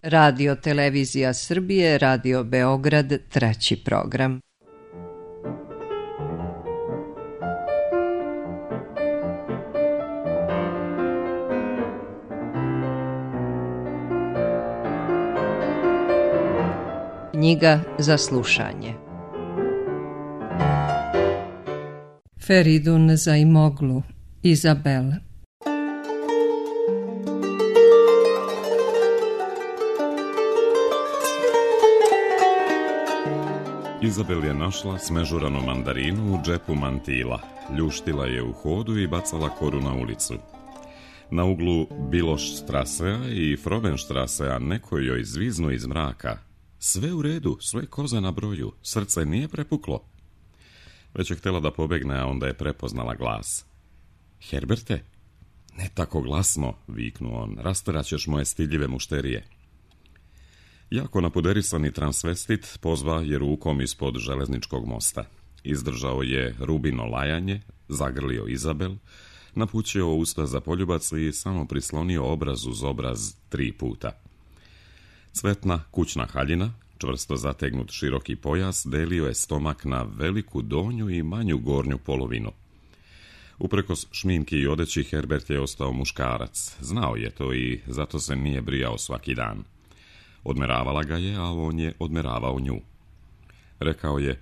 Radio Televizija Srbije, Radio Beograd, 3. program. Knjiga za slušanje. Feridun Zaimoglu, Izabel. Izabel je našla smežuranu mandarinu u džepu mantila, ljuštila je u hodu i bacala koru na ulicu. Na uglu Bilošstrasea i Frobenstrasea neko joj zviznu iz mraka. Sve u redu, sve koza na broju, srce nije prepuklo. Već je htjela da pobegne, a onda je prepoznala glas. Herberte? Ne tako glasno, viknuo on, rasteraćeš moje stidljive mušterije. Jako napuderisani transvestit pozva je rukom ispod železničkog mosta. Izdržao je Rubino lajanje, zagrlio Izabel, napućio usta za poljubac i samo prislonio obraz uz obraz 3 puta. Cvetna kućna haljina, čvrsto zategnut široki pojas, delio je stomak na veliku donju i manju gornju polovinu. Uprkos šminki i odeći, Herbert je ostao muškarac. Znao je to i zato se nije brijao svaki dan. Odmeravala ga je, a on je odmeravao nju. Rekao je,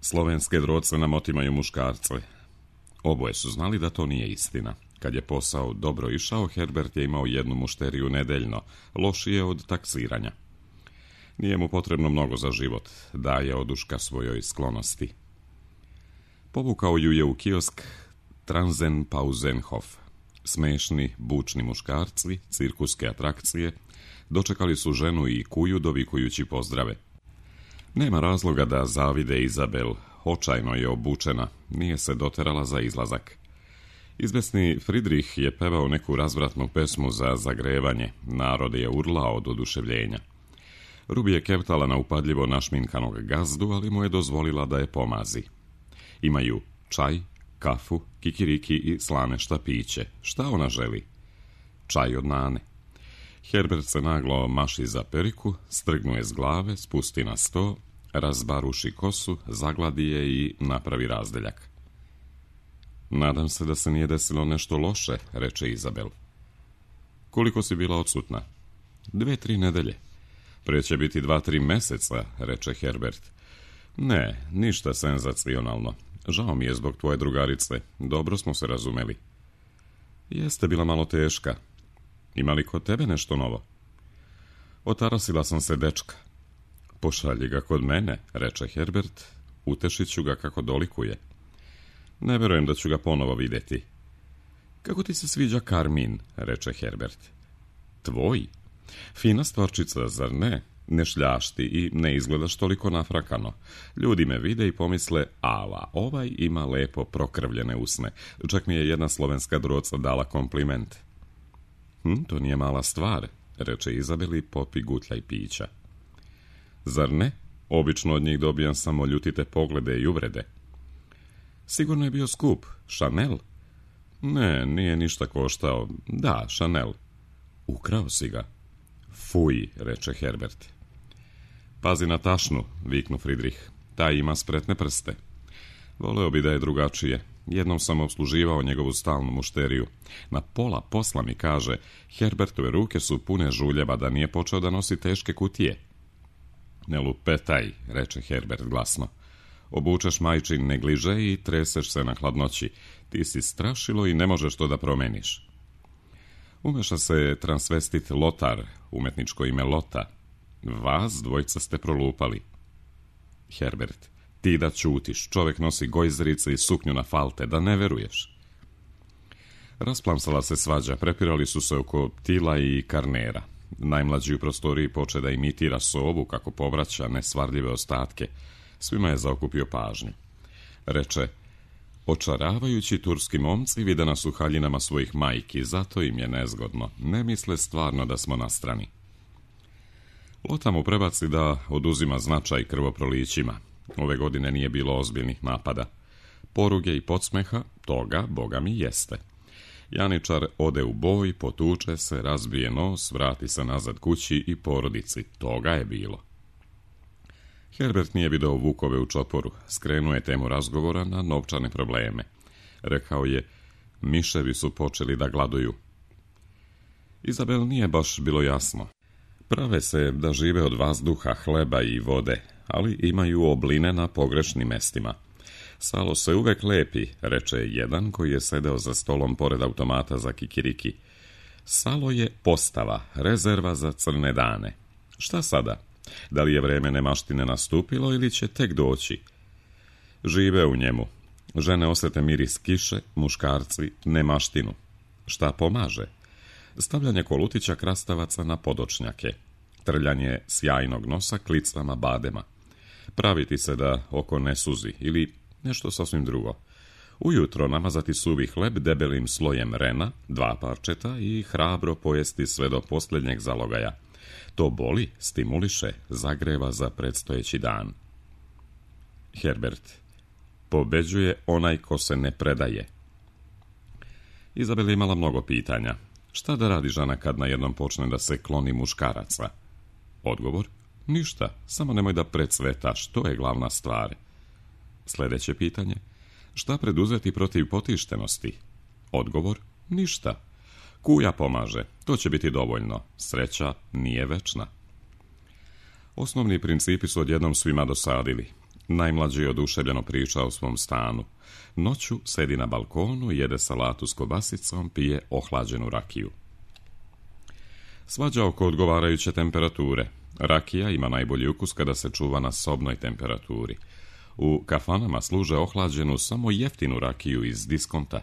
slovenske droce nam otimaju muškarce. Oboje su znali da to nije istina. Kad je posao dobro išao, Herbert je imao jednu mušteriju nedeljno, lošije od taksiranja. Nije mu potrebno mnogo za život, daje oduška svojoj sklonosti. Povukao ju je u kiosk Transenpausenhof. Smešni, bučni muškarci, cirkuske atrakcije, dočekali su ženu i kuju dovikujući pozdrave. Nema razloga da zavide Izabel, očajno je obučena, nije se doterala za izlazak. Izvesni Fridrih je pevao neku razvratnu pesmu za zagrevanje, narod je urlao od oduševljenja. Rubi je keptala na upadljivo našminkanog gazdu, ali mu je dozvolila da je pomazi. Imaju čaj, kafu, kikiriki i slane štapiće. Šta ona želi? Čaj od nane. Herbert se naglo maši za periku, strgnuje s glave, spusti na sto, razbaruši kosu, zagladi je i napravi razdeljak. Nadam se da se nije desilo nešto loše, reče Izabel. Koliko si bila odsutna? 2-3 nedelje. Pre će biti 2-3 meseca, reče Herbert. Ne, ništa senzacionalno. Žao mi je zbog tvoje drugarice. Dobro smo se razumeli. Jeste bila malo teška. Ima li kod tebe nešto novo? Otarasila sam se dečka. Pošalji ga kod mene, reče Herbert. Utešit ću ga kako dolikuje. Ne verujem da ću ga ponovo vidjeti. Kako ti se sviđa Karmin, reče Herbert. Tvoj? Fina stvarčica, zar ne? Ne šljašti i ne izgledaš toliko nafrakano. Ljudi me vide i pomisle, ala, ovaj ima lepo prokrvljene usne. Čak mi je jedna slovenska droca dala kompliment. To nije mala stvar, reče Izabel i popi gutljaj pića. Zar ne? Obično od njih dobijam samo ljutite poglede i uvrede. Sigurno je bio skup. Chanel? Ne, nije ništa koštao. Da, Chanel. Ukrao si ga. Fuj, reče Herbert. Pazi na tašnu, viknu Fridrih. Taj ima spretne prste. Voleo bi da je drugačije. Jednom sam obsluživao njegovu stalnu mušteriju. Na pola posla mi kaže, Herbertove ruke su pune žuljeva da nije počeo da nosi teške kutije. Ne lupetaj, reče Herbert glasno. Obučeš majčin negliže i treseš se na hladnoći. Ti si strašilo i ne možeš to da promeniš. Umeša se transvestit Lotar, umetničko ime Lota. Vas dvojica ste prolupali. Herbert, ti da ćutiš, čovjek nosi gojzerice i suknju na falte, da ne veruješ. Rasplamsala se svađa, prepirali su se oko Tila i Karnera. Najmlađi u prostoriji poče da imitira sovu kako povraća nesvarljive ostatke. Svima je zaokupio pažnju. Reče, očaravajući turski momci vide nas u haljinama svojih majki, zato im je nezgodno. Ne misle stvarno da smo na strani. Lota mu prebaci da oduzima značaj krvoprolićima. Ove godine nije bilo ozbiljnih napada. Poruge i podsmeha, toga, boga mi, jeste. Janičar ode u boj, potuče se, razbije nos, vrati se nazad kući i porodici. Toga je bilo. Herbert nije video vukove u čoporu, skrenuo je temu razgovora na novčane probleme. Rekao je, miševi su počeli da gladuju. Izabel nije baš bilo jasno. Prave se da žive od vazduha, hleba i vode, ali imaju obline na pogrešnim mestima. Salo se uvek lepi, reče jedan koji je sedeo za stolom pored automata za kikiriki. Salo je postava, rezerva za crne dane. Šta sada? Da li je vreme nemaštine nastupilo ili će tek doći? Žive u njemu. Žene osete miris kiše, muškarci nemaštinu. Šta pomaže? Stavljanje kolutića krastavaca na podočnjake. Trljanje sjajnog nosa klicama badema. Praviti se da oko ne suzi ili nešto sasvim drugo. Ujutro namazati suvi hleb debelim slojem rena, 2 parčeta i hrabro pojesti sve do posljednjeg zalogaja. To boli, stimuliše, zagreva za predstojeći dan. Herbert. Pobeđuje onaj ko se ne predaje. Izabel je imala mnogo pitanja. Šta da radi žena kad najednom počne da se kloni muškaraca? Odgovor? Ništa, samo nemoj da precvetaš, to je glavna stvar. Sljedeće pitanje. Šta preduzeti protiv potištenosti? Odgovor? Ništa. Kuja pomaže, to će biti dovoljno. Sreća nije večna. Osnovni principi su odjednom svima dosadili. Najmlađi je oduševljeno priča o svom stanu. Noću sedi na balkonu, jede salatu s kobasicom, pije ohlađenu rakiju. Svađa oko odgovarajuće temperature. Rakija ima najbolji ukus kada se čuva na sobnoj temperaturi. U kafanama služe ohlađenu samo jeftinu rakiju iz diskonta.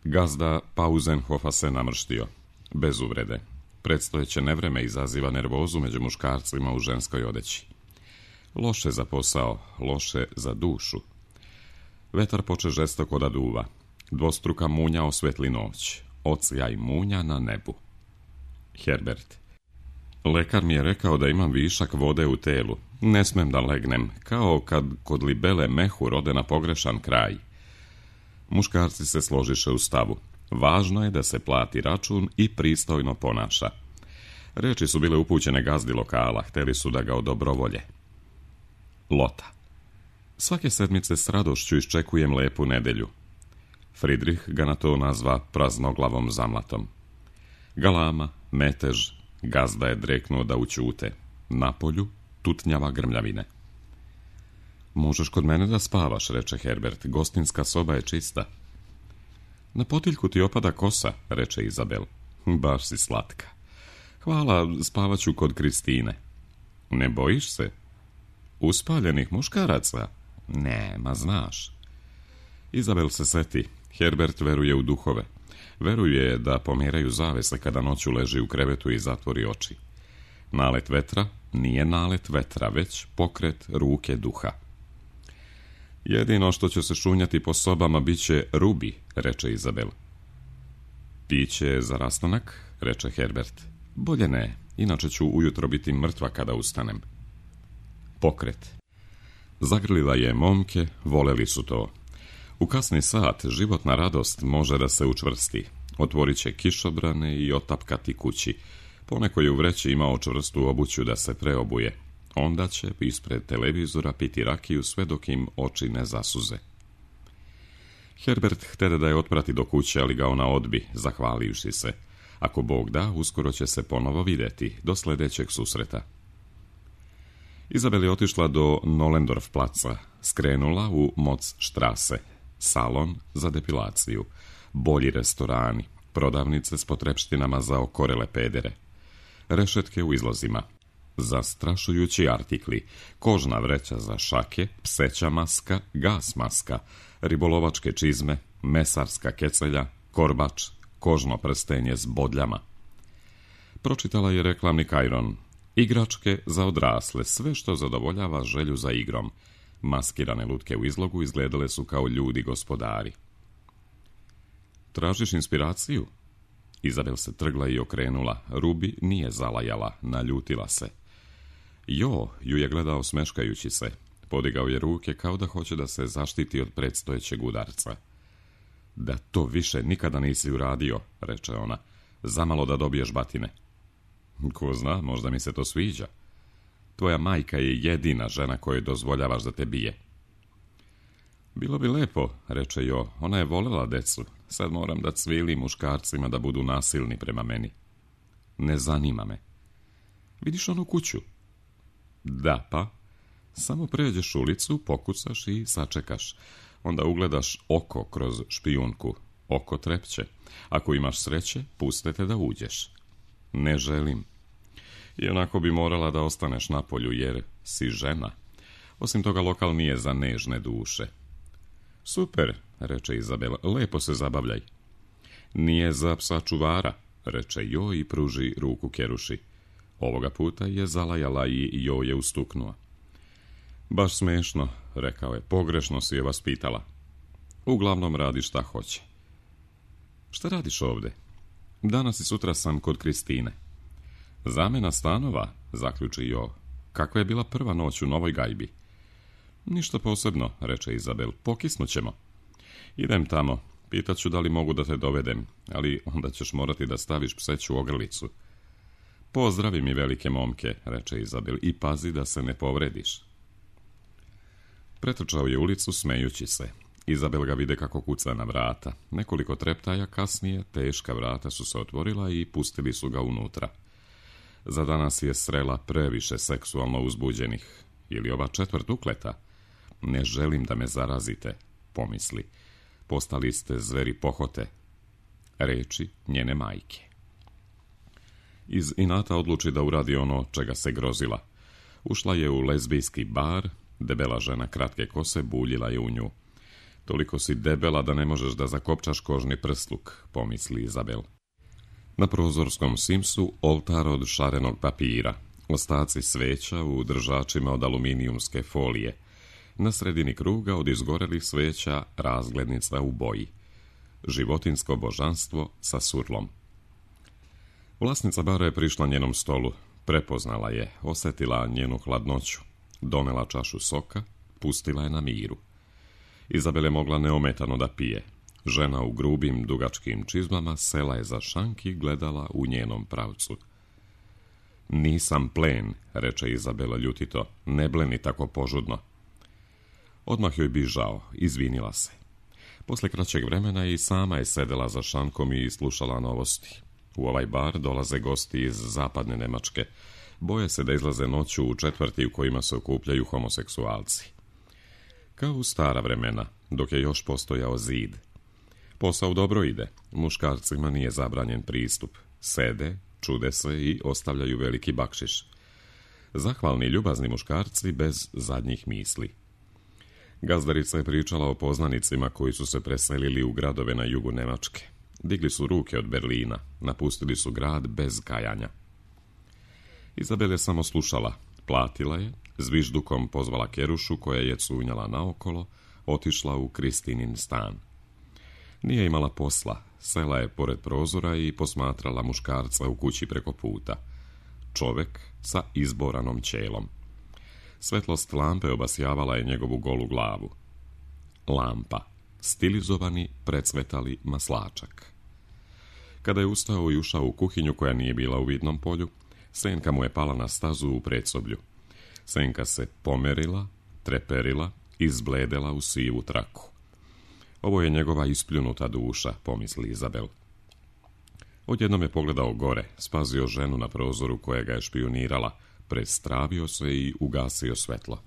Gazda Pausenhofa se namrštio. Bez uvrede. Predstojeće nevreme izaziva nervozu među muškarcima u ženskoj odeći. Loše za posao, loše za dušu. Vetar poče žestoko da duva. Dvostruka munja osvetli noć. Ocijaj munja na nebu. Herbert. Lekar mi je rekao da imam višak vode u telu. Ne smem da legnem, kao kad kod libele mehu rode na pogrešan kraj. Muškarci se složiše u stavu. Važno je da se plati račun i pristojno ponaša. Reči su bile upućene gazdi lokala, hteli su da ga odobrovolje. Lota. Svake sedmice s radošću iščekujem lepu nedelju. Friedrich ga na to nazva praznoglavom zamlatom. Galama, metež, gazda je dreknuo da ućute. Napolju tutnjava grmljavine. Možeš kod mene da spavaš, reče Herbert, gostinska soba je čista. Na potiljku ti opada kosa, reče Izabel. Baš si slatka. Hvala, spavaću kod Kristine. Ne bojiš se? Uspaljenih muškaraca? Ne, ma znaš. Izabel se seti. Herbert veruje u duhove. Veruje da pomeraju zavese kada noću leži u krevetu i zatvori oči. Nalet vetra nije nalet vetra, već pokret ruke duha. Jedino što će se šunjati po sobama bit će rubi, reče Izabel. Piće za rastanak, reče Herbert. Bolje ne, inače ću ujutro biti mrtva kada ustanem. Pokret. Zagrlila je momke, voleli su to. U kasni sat životna radost može da se učvrsti. Otvorit će kišobrane i otapkati kući. Poneko je u vreći imao čvrstu obuću da se preobuje. Onda će ispred televizora piti rakiju sve dok im oči ne zasuze. Herbert htede da je otprati do kuće, ali ga ona odbi, zahvalivši se. Ako Bog da, uskoro će se ponovo vidjeti, do sljedećeg susreta. Izabel je otišla do Nollendorf placa, skrenula u Motzstrasse, salon za depilaciju, bolji restorani, prodavnice s potrepštinama za okorele pedere, rešetke u izlozima, zastrašujući artikli, kožna vreća za šake, pseća maska, gas maska, ribolovačke čizme, mesarska kecelja, korbač, kožno prstenje s bodljama. Pročitala je reklamni kajron. Igračke za odrasle, sve što zadovoljava želju za igrom. Maskirane lutke u izlogu izgledale su kao ljudi gospodari. Tražiš inspiraciju? Izabel se trgla i okrenula. Rubi nije zalajala, naljutila se. Jo, ju je gledao smeškajući se. Podigao je ruke kao da hoće da se zaštiti od predstojećeg udarca. Da to više nikada nisi uradio, reče ona, zamalo da dobiješ batine. Ko zna, možda mi se to sviđa. Tvoja majka je jedina žena kojoj dozvoljavaš da te bije. Bilo bi lepo, reče Jo, ona je volela decu. Sad moram da cvilim muškarcima da budu nasilni prema meni. Ne zanima me. Vidiš onu kuću? Da, pa. Samo pređeš ulicu, pokucaš i sačekaš. Onda ugledaš oko kroz špijunku. Oko trepće. Ako imaš sreće, puste te da uđeš. Ne želim. I onako bi morala da ostaneš napolju, jer si žena. Osim toga, lokal nije za nežne duše. Super, reče Izabela, lepo se zabavljaj. Nije za psa čuvara, reče Jo i pruži ruku Keruši. Ovoga puta je zalajala i Jo je ustuknuo. Baš smešno, rekao je, pogrešno si je vaspitala. Uglavnom radi šta hoće. Šta radiš ovde? Danas i sutra sam kod Kristine. Zamena stanova, zaključi Jo. Kakva je bila prva noć u novoj gajbi? Ništa posebno, reče Izabel, pokisnućemo. Idem tamo, pitaću da li mogu da te dovedem, ali onda ćeš morati da staviš pseću ogrlicu. Pozdravi mi velike momke, reče Izabel, i pazi da se ne povrediš. Pretrčao je ulicu smejući se. Izabel ga vide kako kuca na vrata. Nekoliko treptaja kasnije teška vrata su se otvorila i pustili su ga unutra. Za danas je srela previše seksualno uzbuđenih. Ili ova četvrt ukleta. Ne želim da me zarazite, pomisli. Postali ste zveri pohote. Reči njene majke. Iz inata odluči da uradi ono čega se grozila. Ušla je u lezbijski bar, debela žena kratke kose buljila je u nju. Toliko si debela da ne možeš da zakopčaš kožni prsluk, pomisli Izabel. Na prozorskom simsu oltar od šarenog papira, ostaci sveća u držačima od aluminijumske folije. Na sredini kruga od izgorelih sveća razglednica u boji. Životinsko božanstvo sa surlom. Vlasnica bara je prišla njenom stolu, prepoznala je, osjetila njenu hladnoću, donela čašu soka, pustila je na miru. Izabel je mogla neometano da pije. Žena u grubim, dugačkim čizmama sela je za šank i gledala u njenom pravcu. Nisam plen, reče Izabela ljutito, ne bleni tako požudno. Odmah joj bi žao, izvinila se. Posle kraćeg vremena i sama je sedela za šankom i slušala novosti. U ovaj bar dolaze gosti iz zapadne Nemačke. Boje se da izlaze noću u četvrti u kojima se okupljaju homoseksualci. Kao u stara vremena, dok je još postojao zid. Posao dobro ide, muškarcima nije zabranjen pristup. Sede, čude se i ostavljaju veliki bakšiš. Zahvalni ljubazni muškarci bez zadnjih misli. Gazdarica je pričala o poznanicima koji su se preselili u gradove na jugu Nemačke. Digli su ruke od Berlina, napustili su grad bez kajanja. Izabel je samo slušala, platila je, zviždukom pozvala Kerušu koja je cunjala naokolo, otišla u Kristinin stan. Nije imala posla, sela je pored prozora i posmatrala muškarca u kući preko puta. Čovek sa izboranom ćelom. Svetlost lampe obasjavala je njegovu golu glavu. Lampa, stilizovani, precvetali maslačak. Kada je ustao i ušao u kuhinju koja nije bila u vidnom polju, senka mu je pala na stazu u predsoblju. Senka se pomerila, treperila i izbledela u sivu traku. Ovo je njegova ispljunuta duša, pomisli Izabel. Odjednom je pogledao gore, spazio ženu na prozoru koja ga je špijunirala, prestravio se i ugasio svetlo.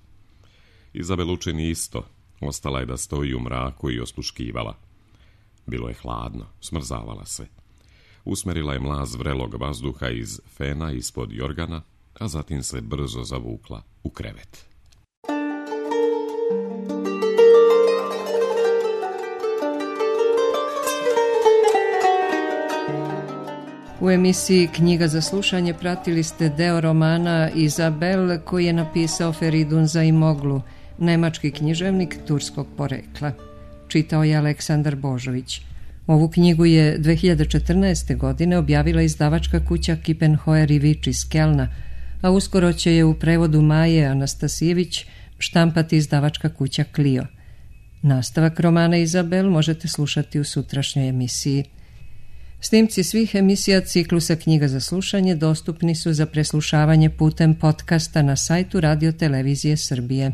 Izabel učini isto, ostala je da stoji u mraku i osluškivala. Bilo je hladno, smrzavala se. Usmerila je mlaz vrelog vazduha iz fena ispod jorgana, a zatim se brzo zavukla u krevet. U emisiji Knjiga za slušanje pratili ste deo romana Izabel koji je napisao Feridun Zaimoglu, nemački književnik turskog porekla. Čitao je Aleksandar Božović. Ovu knjigu je 2014. godine objavila izdavačka kuća Kippenhoer i Vič iz Kelna, a uskoro će je u prevodu Maje Anastasijević štampati izdavačka kuća Clio. Nastavak romana Izabel možete slušati u sutrašnjoj emisiji. Snimci svih emisija ciklusa Knjiga za slušanje dostupni su za preslušavanje putem podcasta na sajtu Radio Televizije Srbije.